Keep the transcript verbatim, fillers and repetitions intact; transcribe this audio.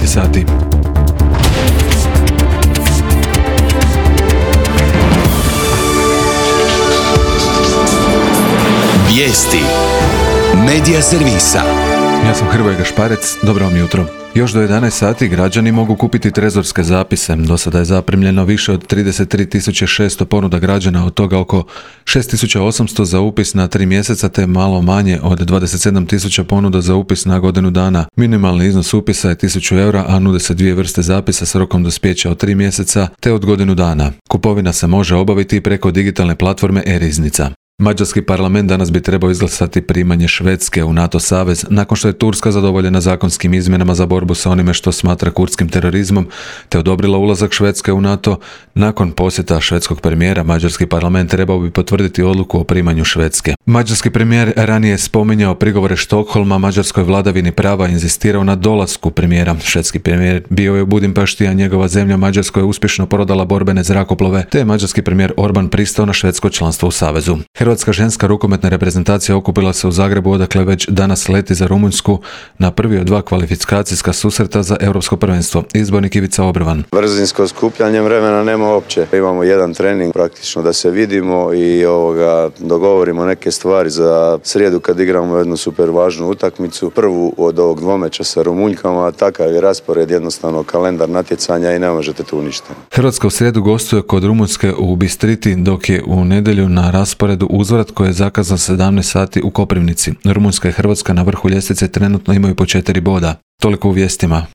devet sati. Vijesti Medija servisa. Ja sam Hrvoje Gašparec, dobro vam jutro. Još do jedanaest sati građani mogu kupiti trezorske zapise. Do sada je zaprimljeno više od trideset tri tisuće šesto ponuda građana, od toga oko šest tisuća osamsto za upis na tri mjeseca, te malo manje od dvadeset sedam tisuća ponuda za upis na godinu dana. Minimalni iznos upisa je tisuću eura, a nude se dvije vrste zapisa s rokom dospijeća od tri mjeseca te od godinu dana. Kupovina se može obaviti preko digitalne platforme e-riznica. Mađarski parlament danas bi trebao izglasati primanje Švedske u NATO savez nakon što je Turska zadovoljena zakonskim izmjenama za borbu sa onime što smatra kurdskim terorizmom te odobrila ulazak Švedske u NATO. Nakon posjeta švedskog premijera, mađarski parlament trebao bi potvrditi odluku o primanju Švedske. Mađarski premijer ranije je spominjao prigovore Štokholma mađarskoj vladavini prava i inzistirao na dolasku premijera. Švedski premijer bio je u Budimpešti, a njegova zemlja Mađarskoj je uspješno prodala borbene zrakoplove, te je mađarski premijer Orban pristao na švedsko članstvo u savezu. Hrvatska ženska rukometna reprezentacija okupila se u Zagrebu, odakle već danas leti za Rumunjsku na prvi od dva kvalifikacijska susreta za europsko prvenstvo. Izbornik Ivica Obrvan. Brzinsko skupljanje vremena nema uopće. Imamo jedan trening praktično da se vidimo i ovoga, dogovorimo neke stvari za srijedu kad igramo jednu super važnu utakmicu. Prvu od ovog dvomeča sa Rumunjkama, takav je raspored, jednostavno kalendar natjecanja i ne možete tu ništa. Hrvatska u srijedu gostuje kod Rumunjske u Bistriti, dok je u nedjelju na rasporedu uzvrat koji je zakazan sedamnaest sati u Koprivnici. Rumunjska i Hrvatska na vrhu ljestvice trenutno imaju po četiri boda. Toliko u vijestima.